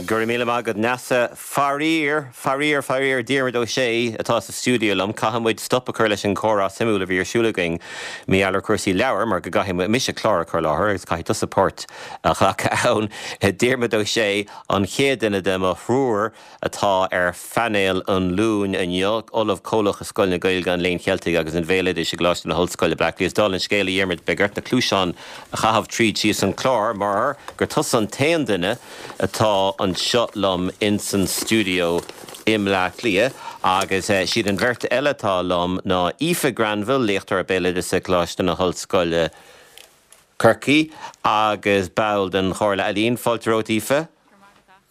Go raibh míle maith agat Neasa. Faraor, faraor, faraor, Diarmuid Ó Sé atá sa stiúideo liom. Caithfidh muid stop a chur leis an chomhrá suimiúil a bhí ar siúl againn mar gheall ar chúrsaí leabhar mar go gcaithfidh mise clár a chur i láthair agus caithfidh tusa páirt a ghlacadh ann. Diarmuid Ó Sé, an chéad duine de mo thriúr atá ar phainéal an Luain inniu, Ollamh Comhlach i Scoil na Gaeilge, an Léinn Cheiltigh agus an Bhéaloidis i gColáiste na hOllscoile, Bleá Cliath. Is dála an scéil, a Dhiarmuid, beidh ort na cluaiseáin a chaitheamh tríd síos an clár mar gur tusa an t-aon duine atá anseo liom ins an stiúideo i mBleá Cliath agus siad an bheirt eile atá liom ná Aoife Granville, léachtóir béaloideasa i gColáiste na hOllscoile, Corcaigh agus ball den Chomhairle Ealaíon. Fáilte romhat, Aoife.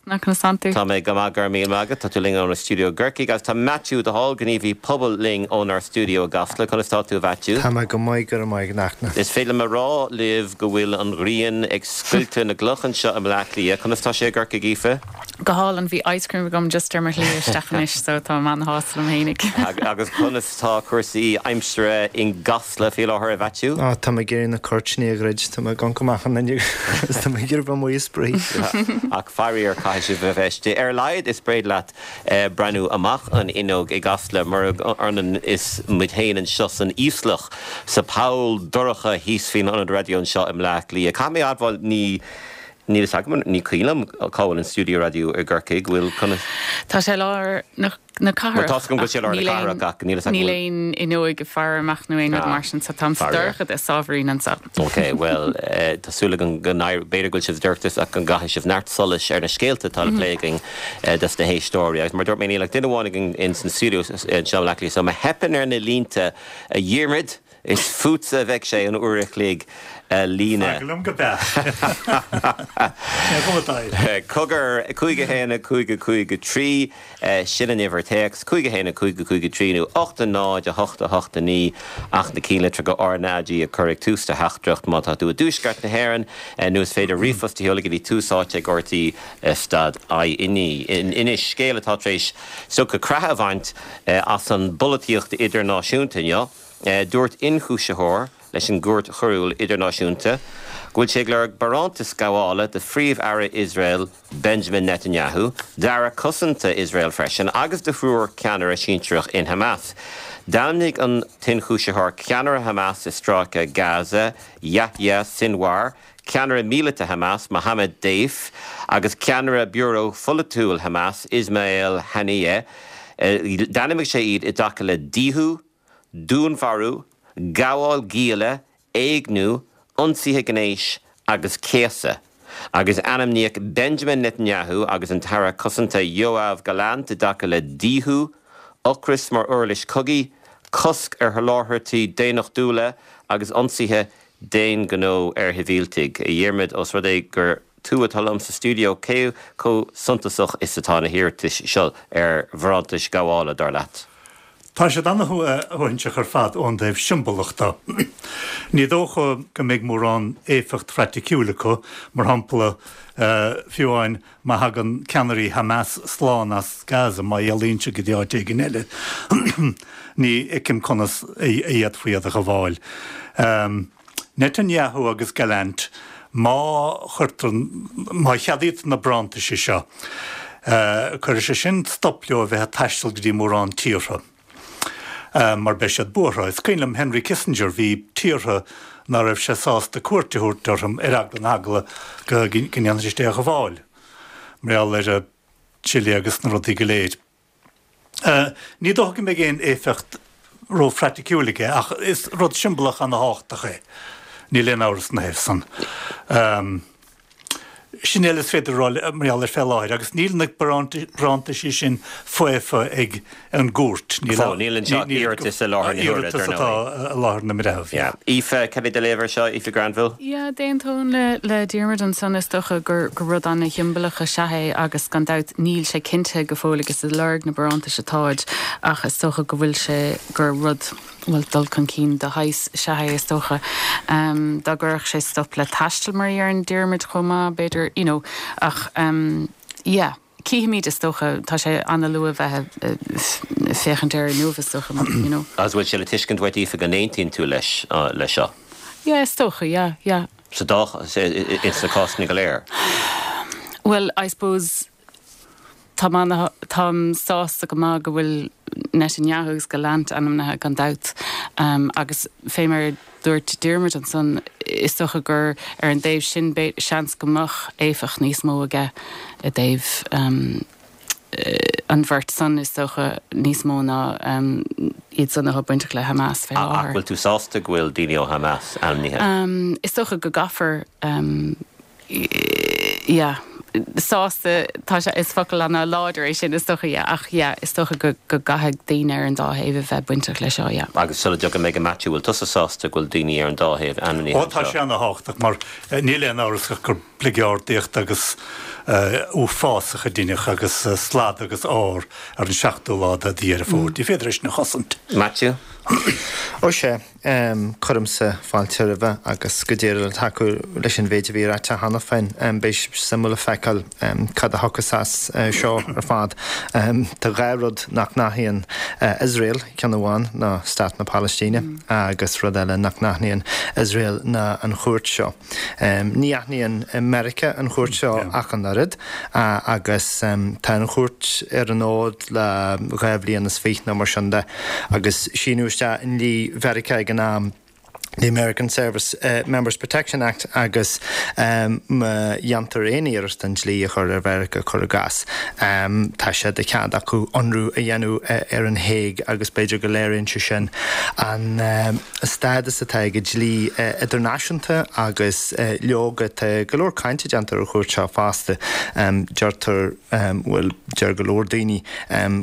Go raibh maith agat, a Fhachtna. Conas tánn tú? Tá mé go maith, go raibh míle maith agat. Tá tú linn ónár stiúideo i gCorcaigh agus tá Maitiú de Hál, gníomhaí pobail linn ónár stiúideo i gCasla. Conas tá tú, a Mhaitiú? Tá mé go maith, go raibh maith agat, a Fhachtna. Is féidir liom a rá libh go bhfuil an ghrian ag scoilteadh na gcloch anseo i mBleá Cliath. Conas tá sé i gCorcaigh, Aoife? Go hálainn, bhí ice cream agam just ar mo shlí isteach anois so tá mé ana-shásta liom fhéinig. Agus conas tá cúrsaí aimsire i gCasla faoi láthair, a Mhaitiú? Á, tá mé ag iarraidh na cuirtíní a dhruid, tá mé ag amharc amach an fhuinneog agus tá mé ag iarraidh bheith amuigh ag spraoi. Ach faraor caithfidh sibh a bheith istigh. Ar a laghad is féidir leat breathnú amach an fhuinneog i gCasla murab ionann is muid féin anseo san íoslach, sa poll dorcha thíos faoin ionad raidió anseo i mBleá Cliath. Caithfidh mé a admháil, ní. Níl fhios agam, ní cuimhin liom cá bhfuil an stiúideo raidió i gCorcaigh, bhfuil, conas. Tá sé i lár na Bhuel, cathrach tá 's agam go bhfuil sé i lár na cathrach ach níl fhios agam níl aon fhuinneoig ag faire amach nó aon rud mar sin so táim sa faraor. dorchadas ábhairín anseo. Ok, bhuel, tá súil agam go n-éireoidh, b'fhéidir go bhfuil sibh sa dorchadas ach go gcaithfidh sibh neart solais ar na scéalta atá le plé againn dos na héisteoirí. Agus mar a dúirt mé, níl ach duine amháin againn in san stiúideo anseo i mBleá Cliath so má theipeann ar na línte, a Dhiarmaid, Is fútsa a bheidh sé an uair a chloig a líonadh. Fág liom go beacht. Cén chuma atá air? Cogar, 5 1 5 5 3, sin an uimhir téacs, 5 1 5 5 3 nó 8 0 8 8 9 ach na cinnlitreacha RnaG a chur ag tús do theachtaireacht má tá tú i dtuaisceart na hÉireann nó is féidir ríomhphost a sheoladh go dtí tús áite ag rte stad ie. Anois, scéal atá tar éis stoca creatha a bhaint as an bpolaitíocht idirnáisiúnta inniu. Dúirt ionchúisitheoir leis an gCúirt Choiriúil Idirnáisiúnta go bhfuil sé ag lorg barántas gabhála do Phríomh-Aire Iosrael Benjamin Netanyahu, d'Aire Cosanta Iosrael freisin agus do thriúr ceannaire sinsearach in Hamas. D'ainmnigh an t-ionchúisitheoir ceannaire Hamas i Stráice Gaza, Yahya Sinwar, ceannaire míleata Hamas, Mohammed Deif, agus ceannaire biúró pholaitiúil Hamas, Ismail Haniyeh. D'ainmnigh sé iad i dtaca le díothú, dúnmharú, gabháil gialla, éigniú, ionsaithe gnéis agus céasadh, agus ainmníodh Benjamin Netanyahu agus an tAire Cosanta Yoav Gallant i dtaca le díothú, ocras mar uirlis cogaidh, cosc ar sholáthairtí daonnachtúla agus ionsaithe d'aon ghnó ar shibhialtaigh. A Dhiarmaid, ós rud é gur tú atá liom sa stiúideo, cé chomh suntasach is atá na hiarratais seo ar bharántais gabhála, dar leat? Tá siad ana-shuaithinseach ar fad ón dtaobh siombalach de. Ní dócha go mbeidh mórán éifeacht phraiticiúil acu, mar shampla, fiú amháin má thagann ceannairí Hamas slán as Gaza, má éalaíonn siad go dtí áit éigin eile, ní fheicim conas a fhéadfaí iad a ghabháil. Netanyahu agus Gallant, má chuirtear, má cheadaítear na barántaisí seo, cuirfidh sé sin stop leo a bheith ag taisteal go dtí mórán tíortha, mar beidh siad buartha. Is cuimhin liom Henry Kissinger, bhí tíortha ná raibh sé sásta cuairt a thabhairt orthu ar eagla na heagla go ndéanfaidís é a ghabháil, mar gheall ar Chile agus na rudaí go léir. Ní dócha go mbeidh aon éifeacht ró-phraiticiúil aige ach is rud siombalach ana-thábhachtach é, níl aon amhras ina thaobh san. Sin uile is féidir a rá mar gheall air fé láthair agus níl na barántaisí sin faofa ag an gcúirt. Níl anseo ach iarratas i láthair na huaire, dar ndóigh. Iarratas atá i láthair na mbreitheamh, yeah. Aoife, cad é do léamh air seo, Aoife Granville? Yeah, d'aontóinn le Diarmuid ansan, is dócha gur rud ana-shiombalach is ea é agus gan dabht níl sé cinntithe go fóill agus ag lorg na barántais atáid ach is dócha go bhfuil sé, gur rud, bhuel, dul chun cinn de shaghas is ea é is dócha. Dá gcuirfeadh sé stop le taisteal mar a deireann Diarmuid chomh maith b'fhéidir, you know, ach yeah. Cífimid is dócha, tá sé ana-luath bheith ag féachaint air inniu is dócha, you know. Agus bhfuil sé le tuiscint uait Aoife go n-aontaíonn tú leis leis seo? Yeah, is dócha, yeah, yeah. Sa dá, ins na cásanna go léir? Bhuel, I suppose. Tá mé, táim sásta go maith go bhfuil Netanyahu agus Gallant ainmnithe gan dabht agus fé mar a dúirt Diarmuid ansan, is dócha gur ar an dtaobh sin seans go mbeadh éifeacht níos mó aige i dtaobh an bheirt san, is dócha, níos mó ná iad san atá bainteach le Hamas fé láthair. Ach bhfuil tú sásta go bhfuil daoine ó Hamas ainmnithe? Is dócha go gcaithfear. yeah, sásta, tá sé, is focal ana-láidir é sin is dócha, yeah, ach yeah, is dócha go, go gcaithfidh daoine ar an dá thaobh a bheith bainteach leis seo, yeah. Agus sula dtiocfaidh mé go Maitiú, bhfuil tusa sásta go bhfuil daoine ar an dá thaobh ainmnithe Ó, tá anseo? sé ana-thábhachtach mar níl aon amhras ach gur bligeardaíocht agus uafásach a deineadh agus slad agus ár ar an seachtú lá de Dheireadh Fómhair. Ní féidir é sin a chosaint. Maitiú? Ó sea. Cuirimse fáilte roimhe agus go díreach le tacú leis an mhéid a bhí ráite cheana féin, beidh sé suimiúil a feiceáil cad a thiocfas as seo ar fad. Tá dhá rud nach n-aithníonn Iosrael, ceann amháin ná Stát na Palaistíne agus rud eile nach n-aithníonn Iosrael ná an chúirt seo. Ní aithníonn Meiriceá an chúirt seo ach an oiread agus tá an chúirt ar an fhód le dhá bhliain is fiche nó mar sin de agus síneadh isteach i ndlí Mheiriceá ag an am the American Service Members Protection Act agus má dhéantar aon iarracht an dlí a chur ar Mheiriceá, cuir i gcás, tá sé de chead acu ionradh a dhéanamh ar an Hague agus b'fhéidir go léiríonn sé sin an stádas atá ag an dlí idirnáisiúnta agus leoga tá go leor cainte déanta ar an chúirt seo fosta. Deirtear, bhuel, deir go leor daoine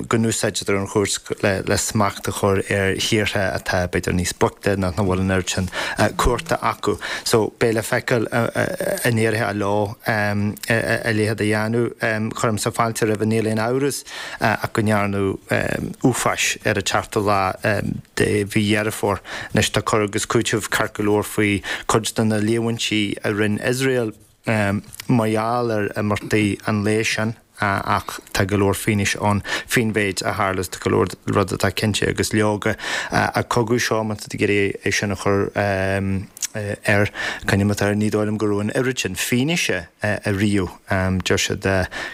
go n-úsáidtear an chúirt le smacht a chur ar thíortha atá b'fhéidir níos boichte nó nach bhfuil an oiread sin cumhachta acu. So beidh le feiceáil an éireoidh leo a leithéid a dhéanamh. Cuirimse fáilte roimhe, níl aon amhras. ach go ndearnadh uafáis ar an tseachtú lá de mhí Dheireadh Fómhair. Anois tá cur agus cúiteamh ceart go leor faoi chuid de na líomhaintí a rinne Iosrael mar gheall ar imeachtaí an lae sin ach tá go leor fianaise ann faoin mhéid a tharla is tá go leor rud atá cinnte agus leoga an cogadh seo má tá tú ag iarraidh é sin a chur air, coinneoidh muid air, ní dóigh liom go raibh an oiread sin fianaise ariamh. Deir siad,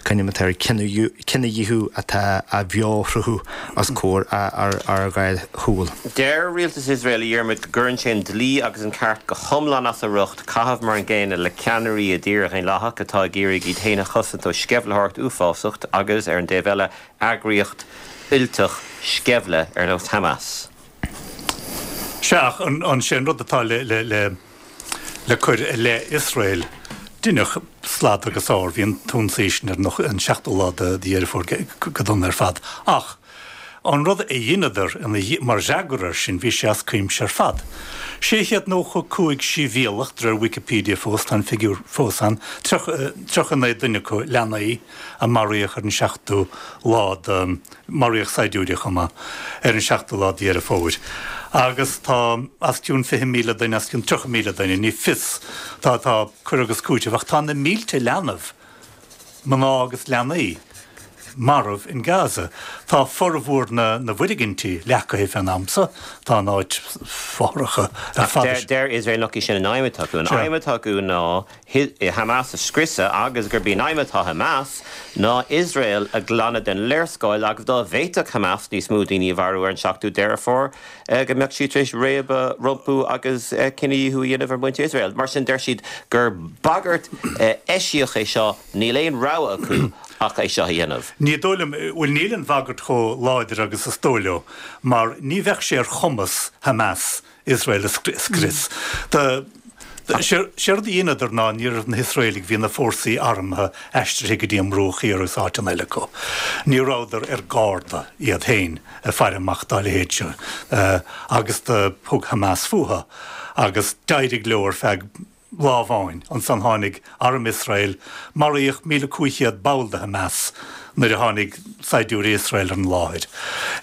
coinneoidh muid air, cinedhíothú atá á bheoshruthú os comhair ár dhá shúil. Deir rialtas Iosrael, a Dhiarmuid, go gcuireann sé an dlí agus an ceart go hiomlán as a riocht caitheamh mar an gcéanna le ceannairí i dtír dhaonlathach atá ag iarraidh iad féin a chosaint ó sceimhlitheoireacht uafásach agus, ar an dtaobh eile, eagraíocht fhuilteach sceimhle ar nós Hamas. Sea, ach an sé an rud atá le le cur i leith Iosrael, deineadh slad agus ár, bhí an t-ionsaí sin ar an seachtú lá de Dheireadh Fómhair go dona ar fad. Ach an rud a dheineadar mar fhreagra air sin, bhí sé as cuimse ar fad. 695 sibhialtach, de réir Wikipedia fós, tá an figiúr fós ann, 39 duine acu leanaí, a maraíodh ar an seachtú lá de. Maraíodh saighdiúirí chomh maith ar an seachtú lá de Dheireadh Fómhair. Agus tá os cionn 20,000 duine, os cionn 30,000 duine, ní fios, tá, tá cur agus cúiteamh, ach tá na mílte leanbh, mná agus leanaí, marbh in Gaza. Tá formhór na na bhfoirgintí leacaithe fén am so, tá an áit fothracha ar fad. Deir Iosrael nach í sin an aidhm atá acu. An aidhm atá acu ná Hamas a scriosadh agus gurb í an aidhm atá Hamas ná Iosrael a ghlanadh den léarscáil agus dá bhféadfadh Hamas níos mó daoine a mharú ar an 7ú Deireadh Fómhair go mbeadh siad tar éis réabadh rompu agus cinedhíothú a dhéanamh ar mhuintir Iosrael. Mar sin deir siad gur bagairt eisiach é seo, níl aon rogha acu ach é seo a dhéanamh. Ní dóigh liom, bhuel níl an bhagairt chomh láidir agus is dóigh leo mar ní bheadh sé ar chumas Hamas Iosrael a scrios. Séard a dheineadar ná ní raibh na hIosraelaigh, bhí na fórsaí armtha aistrithe go dtí an mBruach Thiar agus áiteanna eile acu. Ní rabhadar ar garda iad féin ag faire amach dá leithéid seo agus do thug Hamas fúthu agus d'éirigh leo ar feadh lá amháin. Ansan tháinig arm Iosrael, maraíodh 1,500 ball de Hamas nuair a tháinig saighdiúirí Iosrael ar an láthair.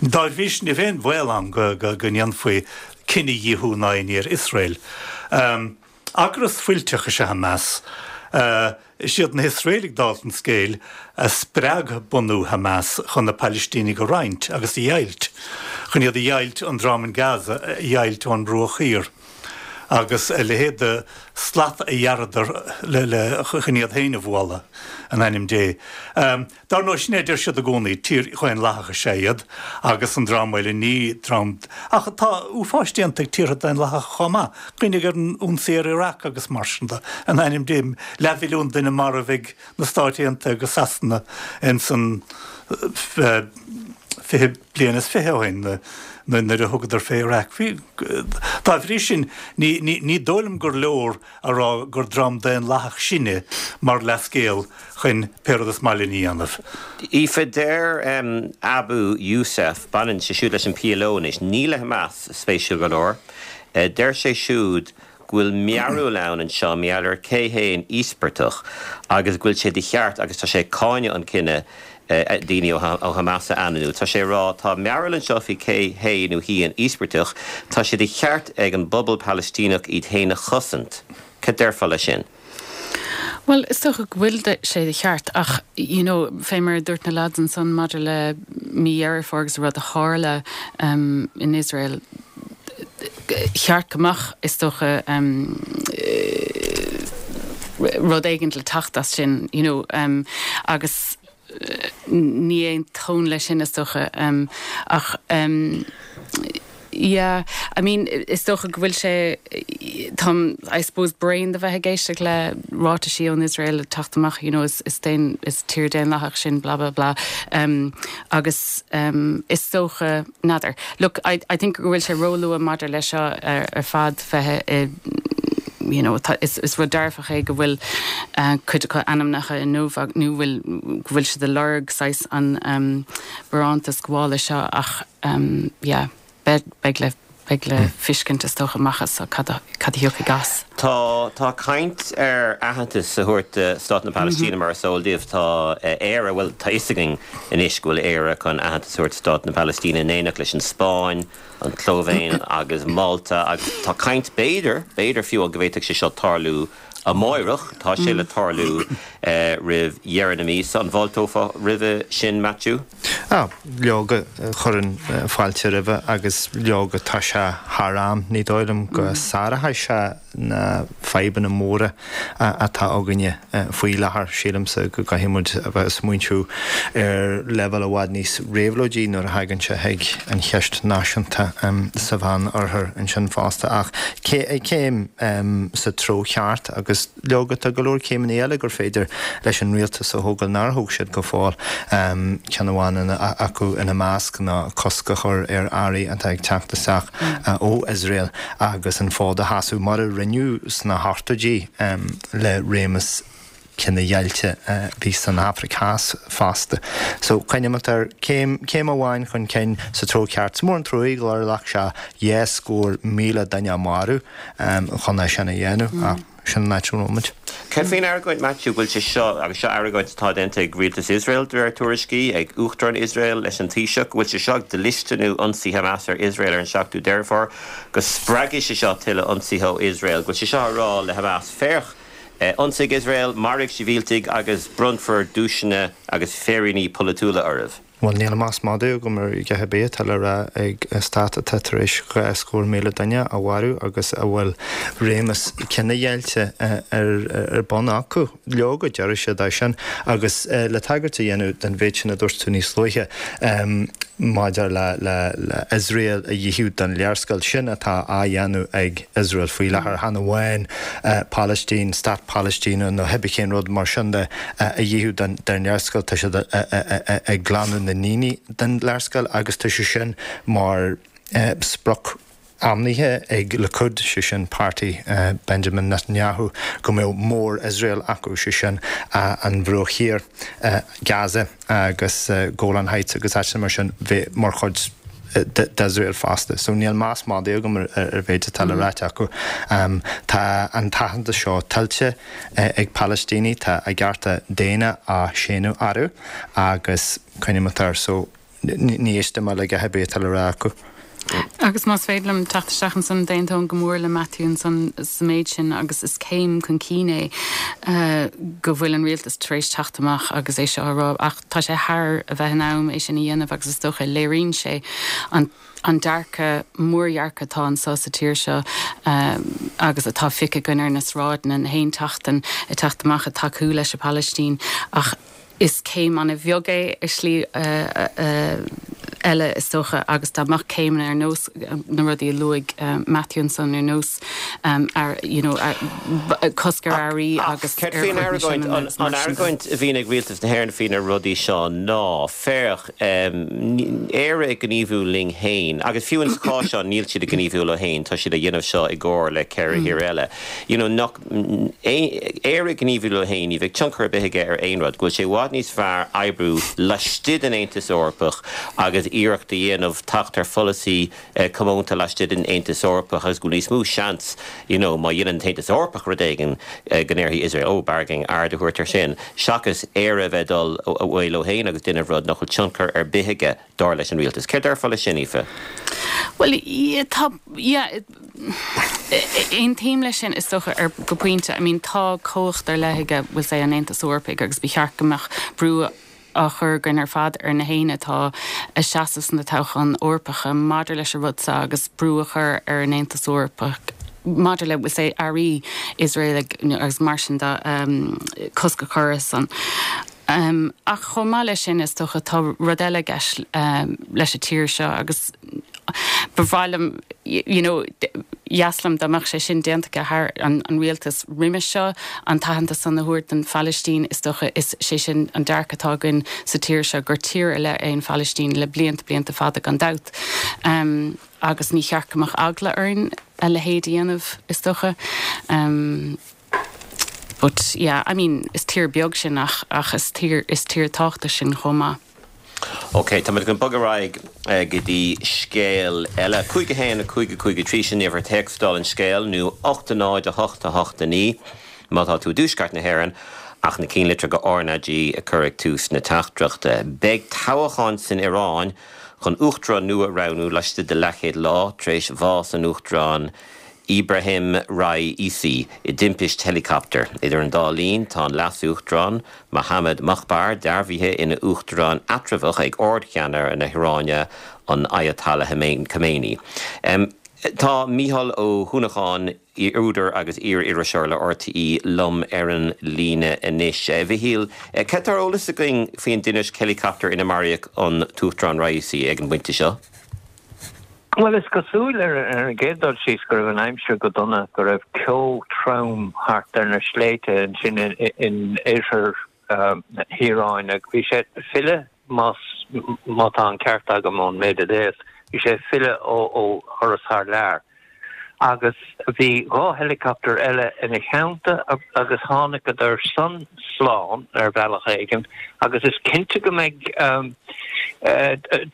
Dá bhrí sin ní bheadh aon bhaol ann go ndéanfaí cinedhíothú ná aon ní ar Iosrael. Eagras fuilteach is ea Hamas. Is iad na hIosraelaigh, dála an scéil, a spreag bunú Hamas chun na Pailistínigh a roinnt agus a dheighilt, chun iad a dheighilt, an dream in Gaza a dheighilt ón mBruach Thiar. Agus a leithéid de slat a ghearradar le le chun iad féin a bhualadh, in ainm Dé. Dar ndóigh, sin é a deir siad i gcónaí, tír dhaonlathach is ea iad agus an dream eile ní dream, ach tá uafáis déanta ag tíortha daonlathacha chomh maith. Cuimhnigh ar an ionsaí ar Iraq agus mar sin de, in ainm Dé, leathmhilliún duine marbh ag na Stáit Aontaithe agus Sasana ins an 20 bliain is 20 ó shin nuair a thugadar fé Iraq. Dá bhrí sin, ní dóigh liom gur leor a rá gur dream daonlathach sinne mar leathscéal chun pé rud is maith linn a dhéanamh. Aoife, deir Abu Yousef, baineann sé siúd leis an PLO anois, ní le Hamas, spéisiúil go leor, deir sé siúd go bhfuil mearbhall ann anseo mar gheall ar cé hé an íospartach agus go bhfuil sé de cheart agus tá sé ag cáineadh an cinneadh daoine ó Hamas a ainmniú. Tá sé ag rá tá mearbhall anseo faoi cé hé nó hí an íospartach, tá sé de cheart ag an bpobal Palaistíneach iad féin a chosaint. Cad déarfá leis sin? Bhuel, is dócha go bhfuil sé de cheart ach, you know, fé mar a dúirt na lads ansan maidir le mí Dheireadh Fómhair agus an rud a tharla in Iosrael, cheart go mbeadh, is dócha, rud éigin le teacht as sin, you know, agus ní aontóinn leis sin, is dócha, ach yeah, I mean, is dócha go bhfuil sé, táim, I suppose, bréan de bheith ag éisteacht le ráitisí ón Iosrael ag teacht amach, you know, is, is daon, is tír daonlathach sinn, blah, blah, blah, agus is dócha, n'fheadar. Look, I, I think go bhfuil sé róluath maidir leis seo ar fad bheith i, you know, tá, is, is rud dearfach é go bhfuil cuid acu ainmnithe inniu nó bhfuil, go bhfuil siad ag lorg saghas an barántas gabhála seo ach yeah, beidh, beidh le, beidh le feiscint is dócha amach as cad a, cad a thiocfaidh as. Tá, tá caint ar aitheantas a thabhairt do Stát na Palaistíne mar is eol daoibh. Tá Éire, bhuel tá fhios againn anois go bhfuil Éire chun aitheantas a thabhairt do Stát na Palaistíne in éineacht leis an Spáinn, an tSlóivéin agus Málta agus tá caint, b'fhéidir, b'fhéidir fiú go bhféadfadh sé seo tarlú amáireach. Tá sé le tarlú roimh dheireadh na míosa. An bhfáilteofá roimhe sin, Maitiú? Ah, leoga, chuirfinn fáilte roimhe agus leoga tá sé thar am. Ní dóigh liom go sáróidh sé na fadhbanna móra atá againne faoi láthair. Sílimse go gcaithfidh muid a bheith ag smaointiú ar leibhéal i bhfad níos réabhlóidí nuair a thagann sé chuig an cheist náisiúnta sa Mheán-Oirthear ansin fosta. Ach céim sa treo cheart agus leoga tá go leor céimeanna eile gur féidir leis an rialtas a thógáil nár thóg siad go fóill. Ceann amháin acu ina measc ná cosc a chur ar earraí atá ag teacht isteach ó Iosrael agus an fód a sheasamh mar a rinneadh sna hochtóidí le réimeas cinedheighilte a bhí san Afraic Theas fosta. So, coinnímid air, céim, céim amháin chun cinn sa treo ceart. Is mór an truaigh gur ghlac sé 200,000 duine a mharú chun é sin a dhéanamh, ach sin an áit a bhfuil muid. Cad faoin argóint, Maitiú, go bhfuil sé seo, agus seo argóint atá déanta ag rialtas Iosrael, de réir tuairiscí, ag Uachtarán Iosrael leis an Taoiseach, go bhfuil sé seo ag dlisteanú ionsaí Hamas ar Iosrael ar an 7ú Deireadh Fómhair, go spreagfaidh sé seo tuilleadh ionsaithe ó Iosrael, go bhfuil sé seo á rá le Hamas, féach, ionsaigh Iosrael, maraigh sibhialtaigh agus bronnfar duaiseanna agus féiríní polaitiúla oraibh. Bhuel, níl meas madaidh agam ar a dhath ar bith atá le rá ag stát atá tar éis 200,000 duine a mharú agus a bhfuil réimeas cinedheighilte ar bun acu. Leoga, déarfaidh siad é sin. Agus le tagairt a dhéanamh don mhéid sin a dúirt tú níos luaithe maidir le Iosrael a dhíothú den léarscáil, sin atá á dhéanamh ag Iosrael faoi láthair, chan amháin Palaistín, stát Palaistíne nó cibé cén rud mar sin de a dhíothú den léarscáil, tá siad ag glanadh na ndaoine den léarscáil agus tá sé sin mar sprioc ainmnithe ag Likud, sé sin páirtí Benjamin Netanyahu, go mbeadh Mór-Iosrael acu, sé sin an Bhruach Thiar, Gaza agus Golan Heights agus áiteanna mar sin bheith mar chuid d'Iosrael fosta. So níl meas madaidh agam ar an mhéid atá le ráit acu. Tá an t-aitheantas seo tuillte ag Palaistínigh, tá a gcearta daonna á séanadh orthu agus coinnímid air. So ní éistfidh mé le a dhath ar bith atá le rá acu. Agus más féidir liom teacht isteach ansan, d'aontóinn go mór le Matthew ansan sa méid sin agus is céim chun cinn é go bhfuil an rialtas tar éis teacht amach agus é seo a rá ach tá sé thar a bheith in am é sin a dhéanamh agus is dócha léiríonn sé an an dearcadh, mórdhearcadh atá anso sa tír seo agus atá feicthe againn ar na sráideanna na haon tseachtain ag teacht amach ag tacú leis an Phalaistín ach is céim an-bheag é i slí eile is dócha agus dá mbeadh céimeanna ar nós na rudaí a luaigh Matthew ansan ar nós you know cosc ar earraí agus ar Céard faoin argóint, an argóint a bhíonn ag Rialtas na hÉireann faoi na rudaí seo ná féach Éire ag gníomhú linn féin agus fiú ins chás seo níl siad ag gníomhú leo féin, tá siad a dhéanamh seo i gcomhar le 4 thír eile. You know, nach, Éire ag gníomhú leo féin, ní bheidh tionchar ar bith aige ar aon rud, go bhfuil sé i bhfad níos fearr oibriú laistigh den Aontas Eorpach agus iarracht a dhéanamh teacht ar pholasaí comónta laistigh den Aontas Eorpach agus go bhfuil níos mó seans, you know, má dhéanann an tAontas Eorpach rud éigin go ndéarfaidh Iosrael, oh, b'fhearr againn aird a thabhairt air sin, seachas Éire a bheith ag dul away leo féin agus déanamh rud nach bhfuil tionchar ar bith aige, dar leis an rialtas. Céard déarfá leis sin, Aoife? Bhuel, yeah, tá, yeah, aontaím leis sin, is dócha, ar, go pointe. I mean, tá cumhacht ar leith aige, we'll say, an Aontas Eorpaigh agus ba cheart go mbeadh brú á chur againn ar fad ar na héinne atá ag seasamh sna toghcháin Eorpacha maidir leis an rud seo agus brú a chur ar an Aontas Eorpach maidir le, we'll say, earraí Iosraelaigh agus mar sin de, cosc a chur ar san. Ach chomh maith leis sin, is dócha, tá rud eile i gceist leis an tír seo agus ba bhreá liom, you know, dheas liom dá mbeadh sé sin déanta aige thar an rialtas roimis seo, an t-aitheantas san a thabhairt don Phalaistín, is dócha, is sé sin an dearcadh atá againn sa tír seo, gur tír ar leith é an Phalaistín le blianta, blianta fada gan dabht. Agus ní cheart go mbeadh eagla orainn a leithéid a dhéanamh, is dócha. But yeah, I mean, is tír beag sinn ach, ach is tír, is tír tábhachtach sinn chomh maith. Ok, tá muid chun bogadh ar aghaidh go dtí scéal eile. 5 1 5 5 3, sin uimhir téacs dála an scéil, nó 8 0 8 8 9 má tá tú i dtuaisceart na hÉireann, ach na cinnlitreacha RnaG a chur ag tús na teachtaireachta. Beidh toghchán san Iaráin chun uachtarán nua a roghnú laistigh de leathchéad lá tar éis bhás an Uachtaráin Ebrahim Raisi i dtimpist heileacaptair. Idir an dá linn, tá an Leas-Uachtarán, Mohammad Mokhbar, dearbhaithe ina uachtarán eatramhach ag Ard-Cheannaire na hIaráine, an Ayatollah Khamenei. Tá Mícheál Ó hUanacháin, údar agus iar-iriseoir le RTÉ, liom ar an líne anois. A Mhichíl, cad tá ar eolas againn faoin dtimpist heileacaptair ina maraíodh an tUachtarán Raisi ag an bpointe seo? Bhuel, is cosúil ar an gcéad dul síos go raibh an aimsir go dona, go raibh ceo trom thart ar na sléibhte ansin in oirthear na hIaráine. Bhí sé ag filleadh, más, má tá an ceart agam ón méid a léas, bhí sé ag filleadh ó thuras thar lear. Agus bhí 2 heileacaptar eile ina theannta agus tháinigeadar san slán ar bhealach éigin agus is cinnte go mbeidh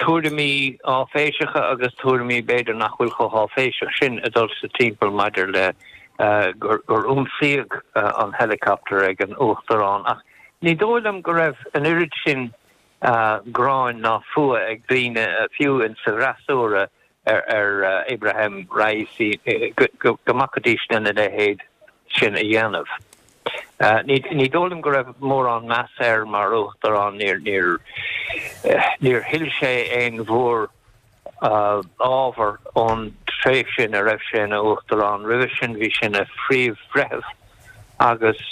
tuairimí áiféiseacha agus tuairimí b'fhéidir nach bhfuil chomh háiféiseach sin ag dul sa timpeall maidir le gur ionsaíodh an heileacaptar ag an Uachtarán ach ní dóigh liom go raibh an oiread sin gráin ná fuath ag daoine fiú in sa bhfreasúra ar Ebrahim Raisi go mbacfaidís lena leithéid sin a dhéanamh. Ní dóigh liom go raibh mórán meas air mar uachtarán, níor thuill sé aon mhór ábhar ón tréimhse ina raibh sé ina uachtarán. Roimhe sin bhí sé ina phríomh-bhreitheamh agus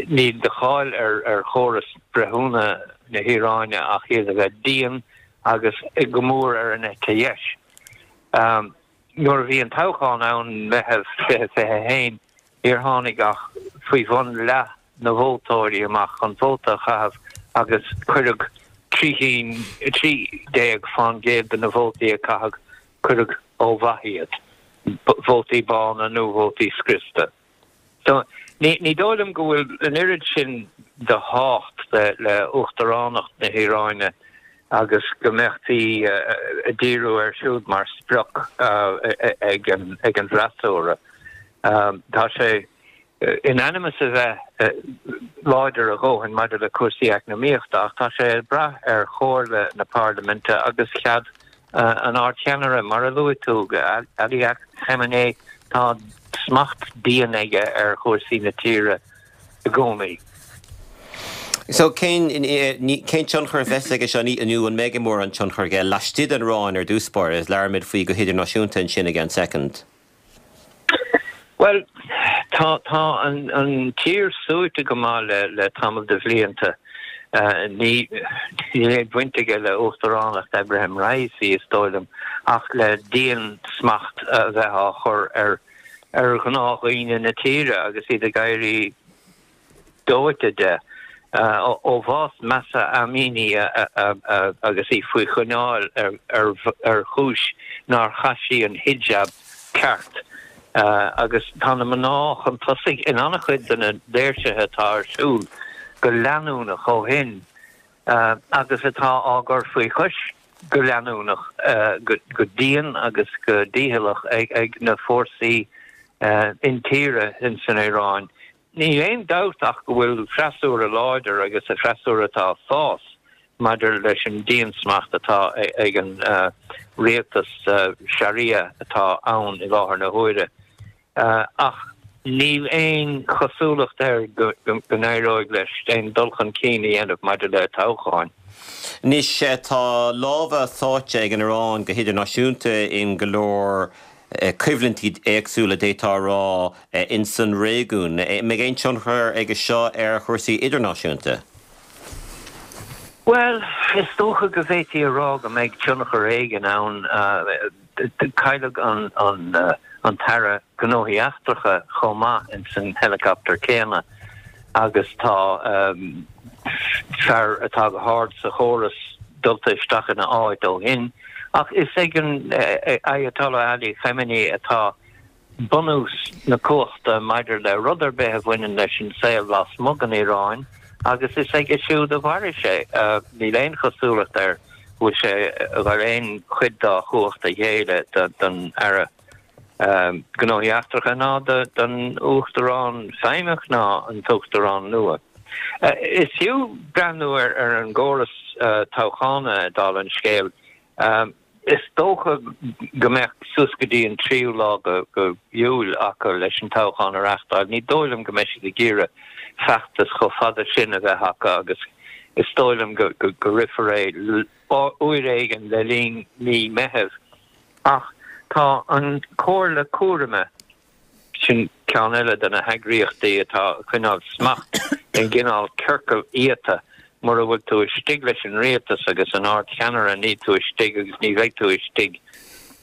níl de cháil ar chóras breithiúna na hIaráine ach iad a bheith dian agus go mór ar an eite dheis. Nuair a bhí an toghchán ann, Meitheamh 2021, níor tháinig ach faoi bhun leath na vótóirí amach chun vóta a chaitheamh agus cuireadh 3 cinn, 13% de na vótaí a caitheadh, cuireadh ó mhaith iad, vótaí bána nó vótaí scriosta. So, ní dóigh liom go bhfuil an oiread sin de thábhacht le uachtaránacht na hIaráine agus go mbeifí ag díriú air siúd mar sprioc ag an bhfreasúra. Tá sé in ainm is a bheith láidir a dhóthain maidir le cúrsaí eacnamaíochta ach tá sé ag brath ar chomhairle na parlaiminte agus cead. an Ardcheannaire, mar a luaigh tú, Ali Khamenei, tá smacht dian aige ar chúrsaí na tíre i gcónaí. So, cén, cén tionchar a bheas aige seo, nó an mbeidh mórán tionchar aige laistigh den Iaráin ar dtús báire, is labhróimid faoi go hidirnáisiúnta ansin i gceann soicind. Bhuel, tá, tá an, an tír suaite go maith le, le tamall de bhlianta. Ní, níl aon bhaint aige le uachtaránacht Ebrahim Raisi, is dóigh liom, ach le diansmacht a bheith á chur ar, ar ghnáthdhaoine na tíre agus iad ag éirí dóite de. Ó bhás Mahsa Amini agus í faoi choinneáil ar chúis nár chaith sí an hijab ceart agus tá na mná chun tosaigh in an-chuid de na léirsithe atá ar siúl go leanúnach ó shin agus atá á gcur faoi chois go leanúnach, go dian agus go dícheallach ag na fórsaí intíre ins an Iaráin. Níl aon dabht ach go bhfuil freasúra láidir agus freasúra atá ag fás maidir leis an diansmacht atá ag an rialtas Sharia atá ann i láthair na huaire. Ach níl aon chosúlacht air go n-éireoidh leis aon dul chun cinn a dhéanamh maidir le toghcháin. Anois tá lámha sáite ag an Iaráin go hidirnáisiúnta in go leor coimhlintí éagsúla, d'fhéadfá a rá, ins an réigiún. An mbeidh aon tionchar aige seo ar chúrsaí idirnáisiúnta? Bhuel, is dócha go bhféadfaí a rá go mbeidh tionchar éigin ann. Cailleadh an tAire Gnóthaí Eachtracha chomh maith ins an helicopter céanna agus tá fear atá go hard sa chóras dulta isteach ina áit ó shin. Ach is ag an Ayatollah Ali Khamenei atá bunús na cumhachta maidir le rud ar bith a bhaineann leis an saol lasmuigh den Iaráin agus is aige siúd a mhairfidh sé. Níl aon chosúlacht air go bhfuil sé ag dul aon chuid dá chumhacht a ghéilleadh don Aire Gnóthaí Eachtracha ná don Uachtarán feidhmeach ná an tUachtarán nua. Is fiú breathnú ar an gcóras toghchána, dála an scéil. Is dócha go mbeadh suas go dtí an tríú lá de Iúil acu leis an toghchán a reáchtáil. Ní dóigh liom go mbeidh siad ag iarraidh feachtas chomh fada sin a bheith acu agus is dóigh liom go rithfear é uair éigin le linn mí Meithimh. Ach tá an Chomhairle Cúraim, sin ceann eile de na heagraíochtaí atá ag coinneáil smacht i gcineál ciorcal iata, mura bhfuil tú istigh leis an rialtas agus an Ard-Cheannaire níl tú istigh agus ní bheidh tú istigh.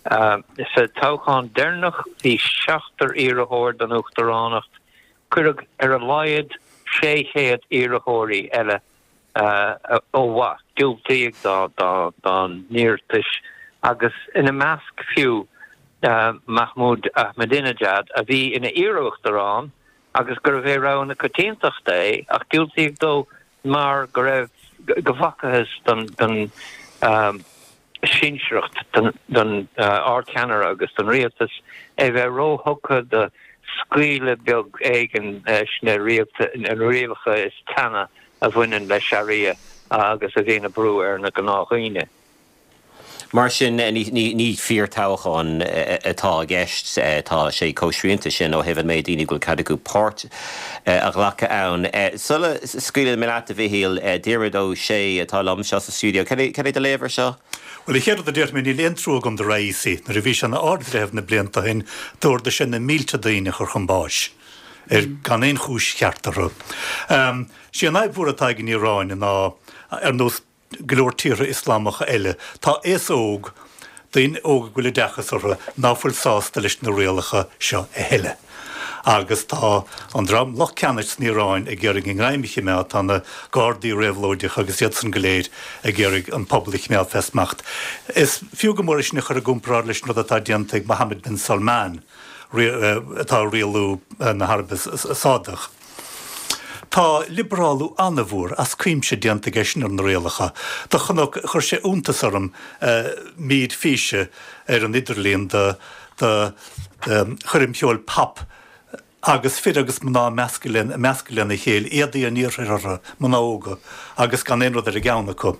Sa toghchán deireanach bhí seachtar iarrthóir don uachtaránacht, cuireadh ar a laghad 600 iarrthóirí eile ó mhaith, diúltaíodh dá n-iarratais agus ina measc fiú Mahmoud Ahmadinejad a bhí ina iar-uachtarán agus gurbh é rogha na coitiantachta é ach diúltaíodh dó mar go raibh, go bhfacathas don sinsearacht, don Ardcheannaire agus don rialtas é bheith róthugtha do scaoileadh beag éigin leis na rialacha is teanna a bhaineann le Sharia agus a bhíonn ag brú ar na gnáthdhaoine. Mar sin, ní fíor-toghchán atá i gceist. Tá sé chomh srianta sin ó thaobh an méid daoine go bhfuil cead acu páirt a ghlacadh ann. Sula scaoileann mé leat, a Mhichíl, Diarmuid Ó Sé atá liom anseo sa stiúideo. Cad é do léamh ar seo? Bhuel, an chéad rud a déarfaidh mé, níl aon trua agam do Raisi. Nuair a bhí sé ina Ard-Bhreitheamh na blianta ó shin, d'ordaigh sé na mílte daoine a chur chun báis ar gan aon chúis cheart orthu. Sí an fhadhb mhór atá ag an Iaráin ná, ar nós go leor tíortha Ioslamacha eile, tá aos óg, daoine óga go bhfuil oideachas orthu, ná fuil sásta leis na rialacha seo a thuilleadh. Agus tá an dream lucht ceannais san Iaráin ag iarraidh a ngreim a chimeád, tá na Gardaí Réabhlóideacha agus iadsan go léir ag iarraidh an pobal a chimeád fé smacht. Is fiú go mór é sin a chur i gcomparáid leis an rud atá déanta ag Mohammed bin Salman, atá ag rialú na hAraibe Sádach. Tá liobrálú an-mhór as cuimse déanta aige sin ar na rialacha. Do chonac, chuir sé iontas orm mír físe ar an idirlíon de choirm cheoil pop. Agus fir agus mná measctha measctha lena chéile, éadaí an iarthair orthu, mná óga, agus gan aon rud ar a gceann acu.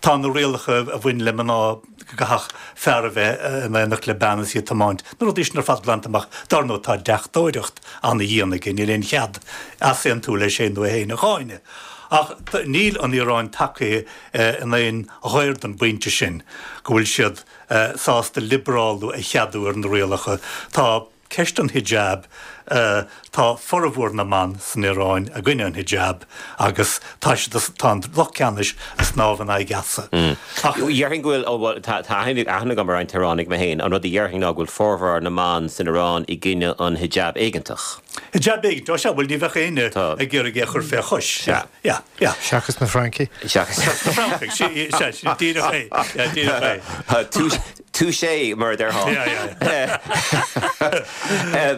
Tá na rialacha a bhain le mná go gcaithfeadh fear a bheith in éineacht le bean is í ag tiomáint, na rudaí sin ar fad glanta amach. Dar ndóigh, tá deachtóireacht ana-dhian aige, níl aon chead easaontú leis é nó é féin a cháineadh. Ach níl an Iaráin tagtha in aon ghair don bpointe sin go bhfuil siad sásta liobrálú a cheadú ar na rialacha. Tá. Ceist an hijab, Tá formhór na mban san Iaráin i gcoinne an hijab agus tá siad, tá an lucht ceannais ag snámh in aghaidh easa. Ach. Dhéarfainn go bhfuil, ó bhuel, tá aithne agam ar roinnt Iaránaigh mé féin, an rud a dhéarfainn ná go bhfuil formhór na mban san Iaráin i gcoinne an hijab éigeantach. Hijab éigeantach, ó sea, bhuel ní bheadh éinne ag iarraidh é a chur fé chois. Sea. Yeah, yeah. Seachas na Francaigh. Seachas na Francaigh, sea, sea, díreach é, yeah, díreach é. Touché, mar a déarfá.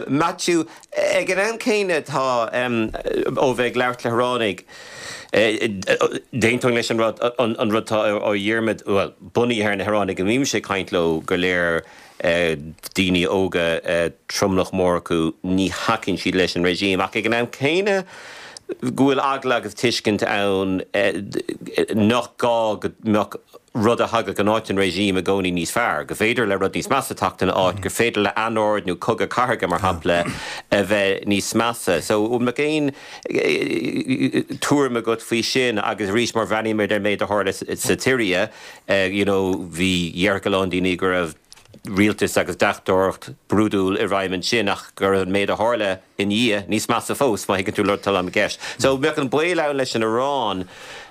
Maitiú, ag an am céanna tá, ó bheith ag labhairt le hIoránaigh, d'aontóinn leis an rud, an rud atá ó Dhiarmaid, bhuel, bunaithe ar na hIoránaigh a mbímse ag caint leo go léir, daoine óga, tromlach mór acu, ní thacaíonn siad leis an regime. Ach ag an am céanna, go bhfuil eagla agus tuiscint ann nach gá go mbeadh rud a thagadh in áit an regime i gcónaí níos fearr, gur féidir le rud níos measa teacht ina áit, gur féidir le anord nó cogadh cathartha, mar shampla, a bheith níos measa. So, an mbeadh aon tuairim agat faoi sin agus arís má bhreathnaímid ar an méid a tharla sa tSiria, you know, bhí, dhéarfadh a lán daoine go raibh rialtas agus deachtóireacht brúidiúil i bhfeidhm ansin ach go raibh an méid a tharla ina dhiaidh níos measa fós, má thuigeann tú an rud atá i gceist. So bheadh an baol ann leis an Iaráin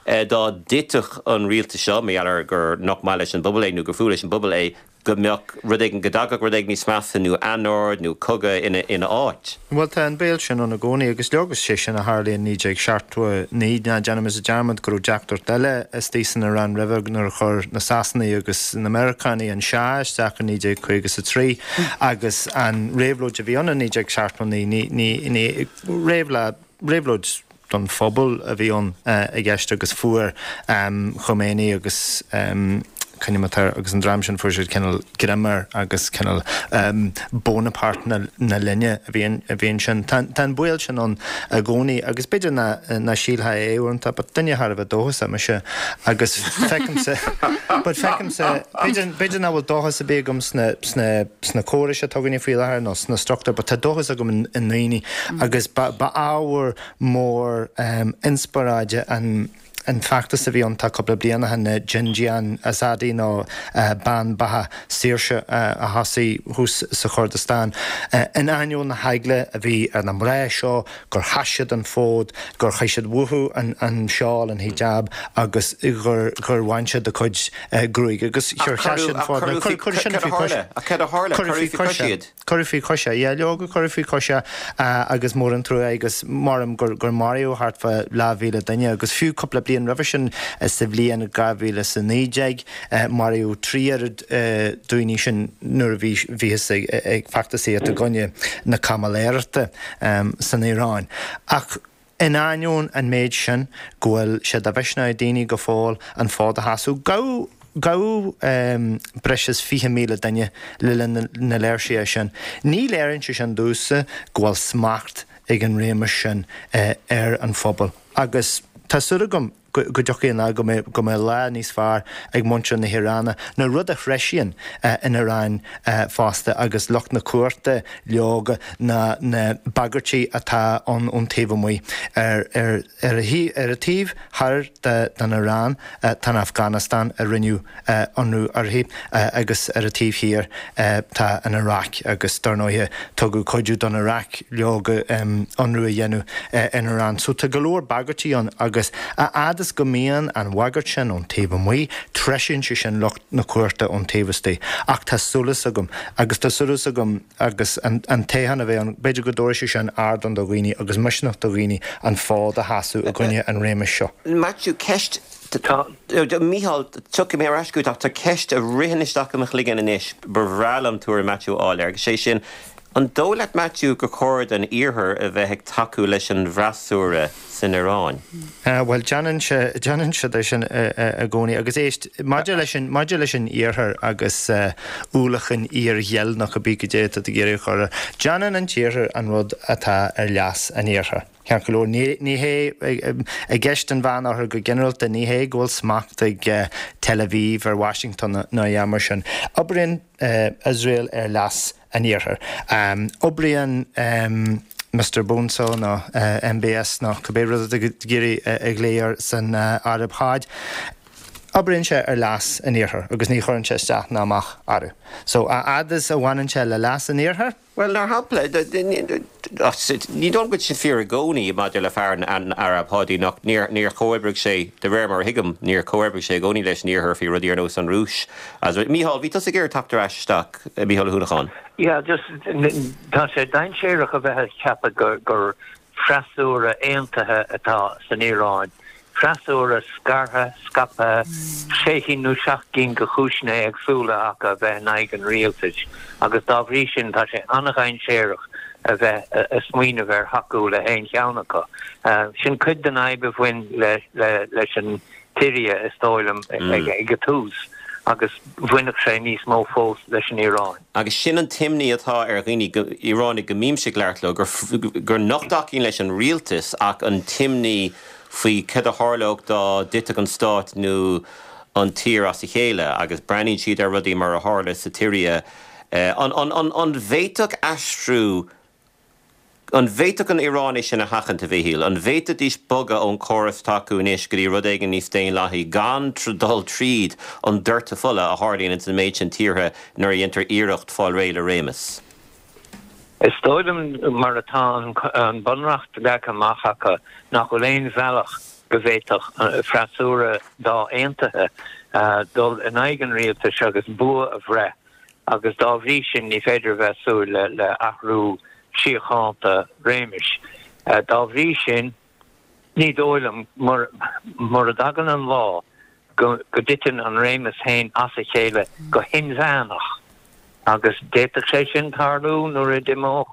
dá dtitfeadh an rialtas seo, mar gheall ar gur nach maith leis an bpobal é nó gur fuath leis an bpobal é, go mbeadh rud éigin, go dtagadh rud éigin níos measa nó anord nó cogadh ina áit. Bhuel, tá an baol sin ann i gcónaí agus leoga is é sin a tharla in 1979. Ná déanaimis dearmad go raibh deachtóireacht eile istigh san Iaráin roimhe nuair a chuir na Sasanaigh agus na Meiriceánaigh an Shah isteach in 1953 agus an réabhlóid a bhí ann in 1979, ní, ní, réabhlóid don phobal a bhí ann i gceist agus fuair Khomeini agus c'ainm atá air agus an dream sin fuair siad cineál greim air agus cineál Bonaparte na linne a bhí a bhí ansin. Tá tá an baol sin ann i gcónaí agus b'fhéidir nach nach sílfeá é uaireanta but duine thar a bheith dóchasach mise agus feicimse but feicimse b'fhéidir b'fhéidir nach bhfuil dóchas ar bith agam sna sna sna córais atá againne faoi láthair nó sna struchtúir but tá dóchas agam i ndaoine agus ba ba ábhar mór inspioráide an an feachtas a bhí ann tá cúpla bliain ó shin, na Jin Jiyan Azadi nó Bean Beatha Saoirse a thosaigh thuas sa Chordastáin. In ainneoin na heagla a bhí ar na mná seo gur sheas siad an fód, gur chaith siad uathu an seál, an hijab agus gur gur bhain siad a gcuid gruaige agus gur sheas siad an fód. Cuireadh sin faoi chois. Ach cad a tharla? Cuireadh faoi chois iad. Cuireadh faoi chois é, yeah, leoga, cuireadh faoi chois é agus mór an trua é agus maram gur, gur maraíodh thart fá leathmhíle duine agus fiú cúpla bliain roimhe sin sa bhliain 2019 maraíodh 3 oiread daoine sin nuair a bhí, bhíothas ag, ag feachtasaíocht i gcoinne na caimiléireachta san Iaráin. Ach in ainneoin an méid sin go bhfuil sé de mhisneach ag daoine go fóill an fód a sheasamh, gabhadh, gabhadh breis is 20,000 duine le linn na léirsithe sin. Ní léiríonn sé sin domhsa go bhfuil smacht ag an réimeas sin ar an phobal agus tá súil agam go dtiocfaidh an lá go mbeidh, go mbeidh lá níos fearr ag muintir na hIaráine, nó rud a threisíonn in Iaráin fosta agus lucht na cumhachta leoga ná na bagairtí atá ann ón taobh amuigh. Ar ar ar an taobh thoir den Iaráin tá an Afganastáin a rinneadh ionradh uirthi agus ar an taobh thiar tá an Iaráic agus dar ndóighe tugadh cuidiú don Iaráic leoga ionradh a dhéanamh ar an Iaráin. So tá go leor bagairtí ann agus a fhad is go mbíonn an bhagairt sin ón taobh amuigh, treisíonn sé sin lucht na cumhachta ón taobh istigh. Ach tá súil agam, agus tá súil agam agus an toghchán a bheidh ann, b'fhéidir go dtabharfaidh sé sin ardán do dhaoine agus misneach do dhaoine an fód a sheasamh i gcoinne an réimis seo. Maitiú, ceist, Tá, Mícheál, tiocfaidh mé ar ais chugat ach tá ceist a ritheann isteach i mo chloigeann anois, ba bhreá liom tuairim Maitiú a fháil air, agus sé sin, An dóigh leat, Maitiú, gur chóir don Iarthar a bheith ag tacú leis an bhfreasúra san Iaráin? Bhuel, déanann sé, déanann siad é sin i gcónaí. Agus éist, maidir leis an, maidir leis an Iarthar agus ualach an fhíorghil nó cibé cad é atá tú ag iarraidh a chur air, déanann an tIarthar an rud atá ar leas an Iarthair. Ceart go leor, ní, ní hé, i gceist an Mheánoirthir go ginearálta, ní hé go bhfuil smacht ag Tel Aviv ar Washington ná a dhath mar sin. Oibríonn Iosrael ar leas an Iarthair. Oibríonn Mister Bonesaw nó MBS nó cibé rud atá tú ag iarraidh a ghlaoch air san Araib Sháid, oibríonn sé ar leas an Iarthair agus ní chuireann sé isteach ná amach orthu. So, a fhad is a bhaineann sé le leas an Iarthair, Bhuel, mar shampla, ní dóigh liom go bhfuil sin fíor i gcónaí maidir le fear an Araib Sháidí, nach, níor chomhoibrigh sé, de réir mar a thuigim, níor chomhoibrigh sé i gcónaí leis an Iarthar faoi rudaí ar nós an Rúis. Mícheál, bhí tusa ag iarraidh teacht ar ais isteach, Mícheál Ó hUanacháin. Yeah, just, tá sé dainséarach a bheith ag ceapadh gur freasúra aontaithe atá san Iaráin, freasúra scartha, scaipthe, sé chinn nó seacht gcinn de chúiseanna éagsúla acu a bheith in aghaidh an rialtais agus dá bhrí sin tá sé an-dhainséarach a bheith ag smaoineamh ar thacú le haon cheann acu. Sin cuid den fhadhb a bhain leis an tSiria, is dóigh liom, ag an tús agus bhainfeadh sé níos mó fós leis an Iaráin. Agus sin an t-imní atá ar dhaoine, Iaránaigh go mbímse ag labhairt leo, gur nach dtacaíonn leis an rialtas ach an t-imní faoi cad a tharlódh dá dtitfeadh an stát nó an tír as a chéile agus breathnaíonn siad ar rudaí mar a tharla sa tSiria. An bhféadfadh aistriú An bhféadfadh an Iaráin é sin a sheachaint, a Mhichíl? An bhféadfaidís bogadh ón chóras atá acu anois go dtí rud éigin níos daonlathaí gan dul tríd an doirteadh fola a tharlaíonn ins an méid sin tíortha nuair a dhéantar iarracht fáil réidh le réimeas? Is dóigh liom, mar atá an bunreacht leagtha amach acu, nach bhfuil aon bhealach go bhféadfadh freasúra dá aontaithe dul in aghaidh an rialtais agus bua a bhreith agus dá bhrí sin ní féidir a bheith ag súil le athrú síochánta réimis. Dá bhrí sin, ní dóigh liom, mura dtagann an lá go dtiteann an réimeas féin as a chéile go hinmheánach, agus d'fhéadfadh sé sin tarlú nuair a d'imeodh